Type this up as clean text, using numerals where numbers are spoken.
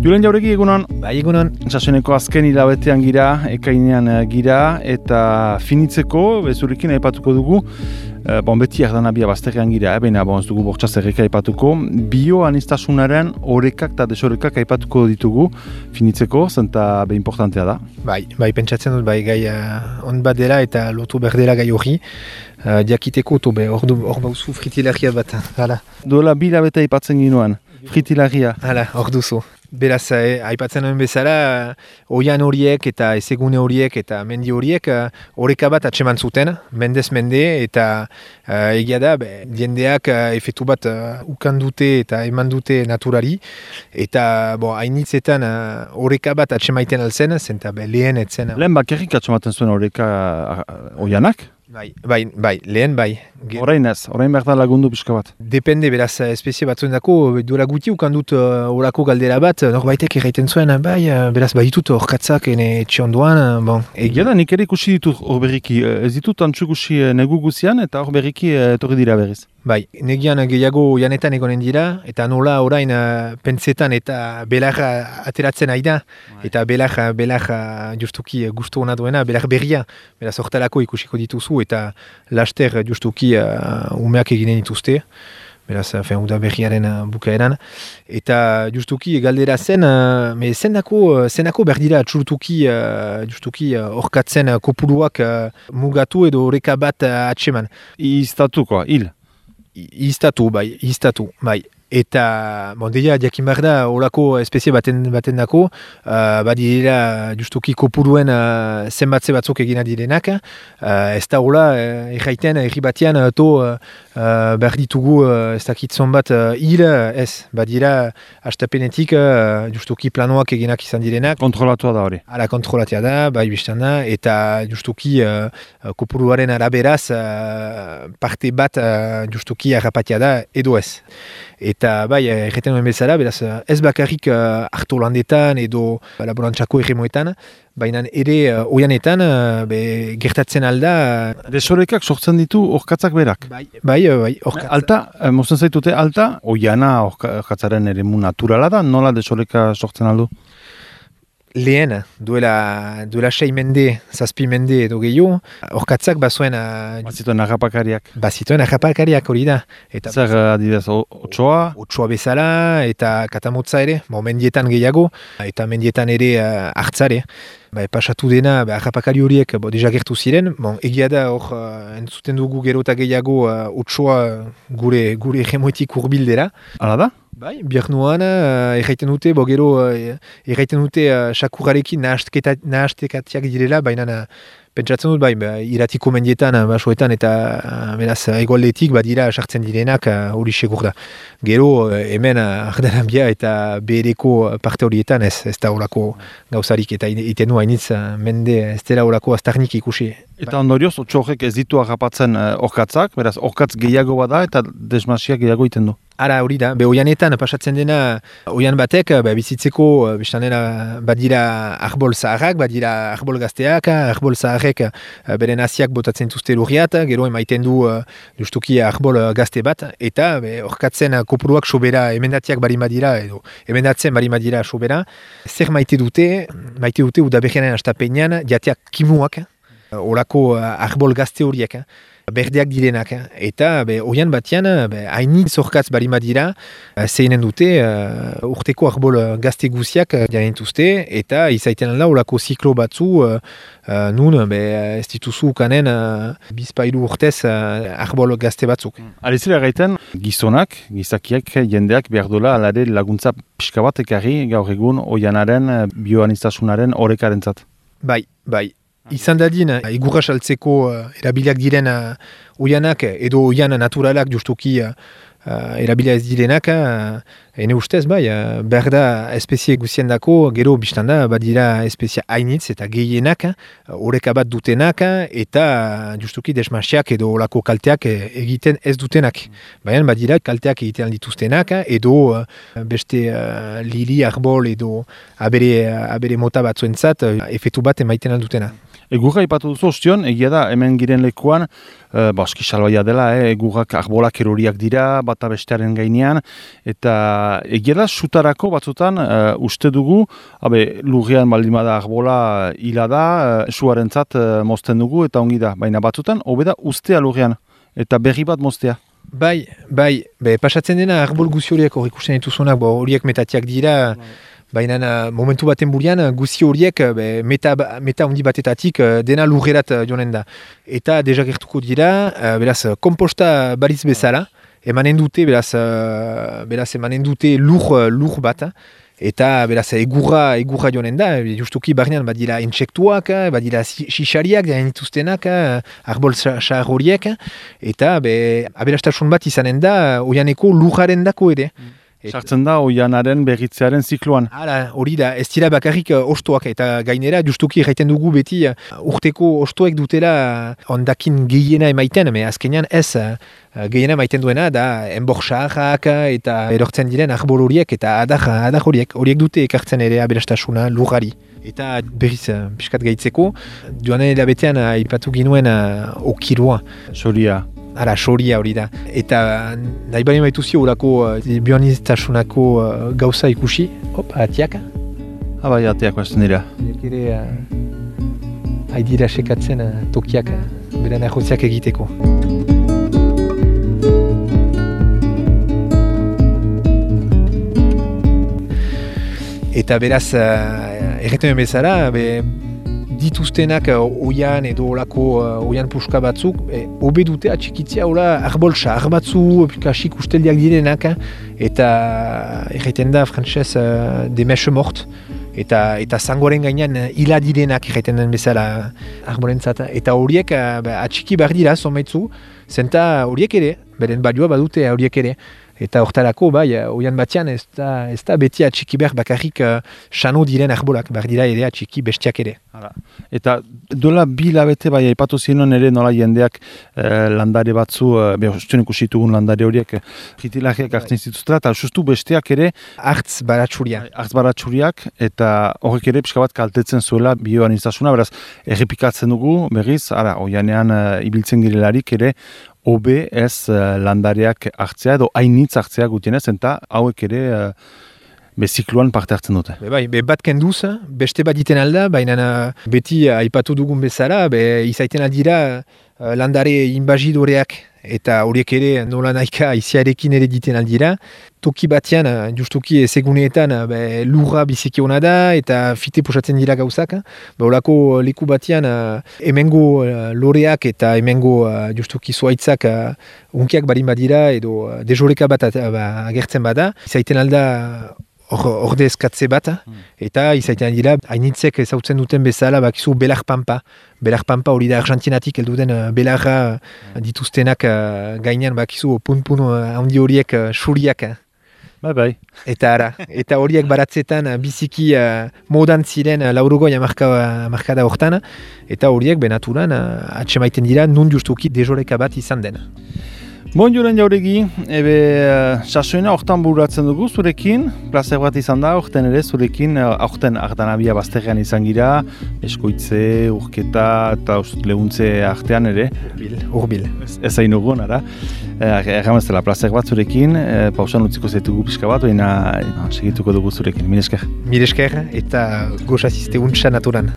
Julen Jauregi, egunon? Bai, egunon. Saseneko azken hilabetean gira, ekainean gira, eta finitzeko, bezurikin aipatuko dugu, beti erdanabia bazterrean gira, baina ez dugu bortxaz erreka aipatuko, bioanistasunaren orekak eta desorekak aipatuko ditugu finitzeko, zenta importantea da. Bai, pentsatzen dut, gai on bat dela eta lotu berdela gai hori, jakiteko tobe, hor bauzu fritilagia bat, hala. Duela 2 hilabete aipatzen ginoen, fritilagia. Hala, hor duzu. Beraz, aipatzen nuen bezala, oian horiek eta ezegune horiek eta mendi horiek oreka bat atseman zuten, mendez mende, eta egia da, jendeak efektu bat ukan dute eta eman dute naturari, eta hainitzetan oreka bat atsemaiten alzen, zenta lehen etzen. Lehen bakarrik atsematen zuen oreka oianak? Bai, lehen bai. Orain ez, orain behar da lagundu pixka bat. Depende, beraz, espezie batzuen dako, duela guti ukan dut orako galdera bat, norbaitek erraiten zuen, beraz, ditut orkatzak etxe ondoan, Egia da, nik ere ikusi ditut hor berriki, ez ditut antzu ikusi negu guzian, eta hor berriki etorri dira berriz. Bai, negian gehiago janetan egonen dira, eta nola orain pentsetan eta belarra ateratzen aida, eta belarra justuki gustu hona duena, belar berria, beraz hortalako ikusiko dituzu, eta laster justuki umeak eginen dituzte, beraz, uda berriaren bukaeran, eta justuki galdera zen, zenako berdira justuki orkatzen kopuruak mugatu edo oreka bat atseman. Iztatukoa, hil? Iztatu, bai. Eta, deia, jakin behar da, horako espezie baten dako, badira justuki kopuruen zenbatze batzuk egina direnak, ez da hola, erraiten, erri batean, behar ditugu, ez dakitzon bat, hil, ez, badira, hastapenetik, justuki planoak eginak izan direnak. Kontrolatua da hori. Hala, kontrolatia da, bai biztan da, eta justuki kopuruaren araberaz, parte bat justuki harrapatia da, edo ez. Eta bai, erreten nuen bezala, beraz, ez bakarrik harto landetan edo laborantzako erremoetan, baina ere oianetan gertatzen alda. Desorekak sortzen ditu orkatzak berak? Bai, orkatza. Alta, mozten zaitute, alta, oiana orkatzaren eremu naturala da, nola desoreka sortzen aldu? Lehen, duela 6 mende, 7 mende edo gehiago, orkatzak bazuen... Bazituen harrapakariak. Bazituen harrapakariak hori da. Zer adibidez, otsoa? Otsoa bezala eta katamotza ere, mendietan gehiago, eta mendietan ere hartzare. Pasatu dena, harrapakari horiek deja gertu ziren, egia da hor entzuten dugu gero eta gehiago otsoa gure egemoetik urbildera. Hala da? Bai, biernuan erraiten dute, gero erraiten dute sakurarekin nahastekatiak direla, baina pentsatzen dut, iratiko mendietan, basoetan eta beraz egoaldetik badira sartzen direnak hori segur da. Gero hemen Ardanabia eta behereko parte horietan ez da horako gauzarik eta iten du hainitz mende ez dela horako aztarnik ikusi. Eta ondorioz, otso horrek ez ditu harrapatzen orkatzak, beraz orkatz gehiago bada eta desmasiak gehiago iten du. Ara, hori da, oianetan pasatzen dena, oian batek, bizitzeko, biztanera, badira arbol zaharrak, badira arbol gazteak, arbol zaharrek beren hasiak botatzen zuzte lurriat, gero emaiten du justuki arbol gazte bat, eta orkatzen kopuruak sobera emendatiak barimadira, edo emendatzen barimadira sobera, zer maite dute udaberrianen astapenean, jateak kimuak, horako arbol gazte horiek, berdeak direnak, eta oian batean hainit zorkatz barimadira zeinen dute urteko arbol gazte guziak janentuzte, eta izaiten alda olako ziklo batzu nun ez dituzu kanen bizpailu urtez arbol gazte batzuk. Alizera gaiten, gizonak, gizakiak, jendeak behar dola alare laguntza pixka bat ekarri gaur egun oianaren, bioanistasunaren horrekarentzat. Bai. Izan dadin, igurra saltzeko erabiliak diren oianak edo oian naturalak justuki erabilia ez direnak, ene ustez, behar da espezie guzien dako, gero biztanda badira espezie hainitz eta gehienak, horreka bat dutenak, eta justuki desmasiak edo olako kalteak egiten ez dutenak. Baina badira kalteak egiten dituztenak, edo beste lili, arbol edo abere mota batzuentzat efektu bat emaiten aldutena. Egurra ipatu duzu ostion, egia da, hemen giren lekuan, eski salbaia dela, egurrak arbolak eroriak dira, bata bestearen gainean, eta egia da, sutarako batzutan uste dugu, lurrean baldimada arbola hila da, suarentzat mozten dugu, eta ongi da, baina batzutan, hobeda ustea lurrean, eta berri bat moztea. Bai, pasatzen dena arbol guzi horiek hor ikusten dituzunak, horiek metatiak dira, baina momentu baten burian guzi horiek meta handi batetatik dena lurrerat joanen da. Eta deja gertuko dira, beraz, komposta baliz bezala, emanen dute lur bat, eta beraz egurra joanen da, justuki barnean badira intsektuak, badira xixariak, dituztenak, arbol xar horiek, eta aberastasun bat izanen da, oianeko lurraren dako ere. Sartzen da oianaren berritzearen zikloan. Hori da, ez dira bakarrik ostoak, eta gainera justuki erraiten dugu beti urteko ostoek dutela ondakin gehiena emaiten, azkenean ez gehiena emaiten duena da enborxarrak eta erortzen diren arbol horiek eta adar horiek dute ekartzen ere aberastasuna lurrari. Eta berriz pixkat gaitzeko, joanen erabetean aipatu ginuen okirua. Soria hori da. Eta nahi bali maituzio horako bioniztasunako gauza ikusi. Atiaka. Bai, atiako ez dira. Ere haidira sekatzen tokiak beran ahotziak egiteko. Eta beraz, erreten bezala, dituztenak oian edo olako oian puska batzuk, hobe dute atxikitzea arbol xar batzu, kasik usteldiak direnak, eta erraiten da frantzez demeche mort, eta zangoren gainean hila direnak erraiten den bezala arbolentzat. Eta horiek atxiki behar dira, zomaitzu, zenta horiek ere, beren balioa badute horiek ere. Eta hortarako, oian batean ez da beti atxiki behar bakarrik xano diren arbolak, behar dira ere atxiki bestiak ere. Eta dola bi labete aipatu zinon ere nola jendeak landare batzu, behostuen ikusitugun landare horiek jitilajeak hartzen zituztela, eta justu bestiak ere hartz baratxuriak, eta horrek ere pixka bat kaltetzen zuela bioaniztasuna, beraz errepikatzen dugu, berriz, oianean ibiltzen girelarik ere, hobe ez landareak hartzea edo hainitz hartzea gutienez, eta hauek ere zikloan parte hartzen dute. Bat kenduz, beste bat diten alda, baina beti aipatu dugun bezala, izaiten aldira landare inbazidoreak, eta horiek ere nola nahika iziarekin ere diten aldira. Toki batean, justuki ezeguneetan lurra biziki hona da, eta fite posatzen dira gauzak. Olako leku batean, hemengo loreak eta hemengo justuki zuaitzak unkiak barin badira, edo dejoreka bat agertzen bada. Izaiten alda orde eskatze bat, eta izaiten dira, hainitzek ezautzen duten bezala, bakizu belar pampa. Belar pampa hori da Argentinatik heldu den belarra dituztenak gainean, bakizu pun-pun handi horiek suriak. Eta horiek baratzetan biziki modan ziren laurogoi markada hortan, eta horiek benaturan atsemaiten dira nun justuki dejoreka bat izan den. Joren Jauregi, sasoina hortan bururatzen dugu zurekin, plazer bat izan da, horten ere zurekin, horten Ardanabia bazterrean izan gira, eskoitze, urketa eta lehuntze artean ere. Urbil. Ez hain urgun, erramezela plazer bat zurekin, pausan utziko zaitugu pixka bat, baina segituko dugu zurekin, mire esker. Mire esker eta gozazizte untsa naturan.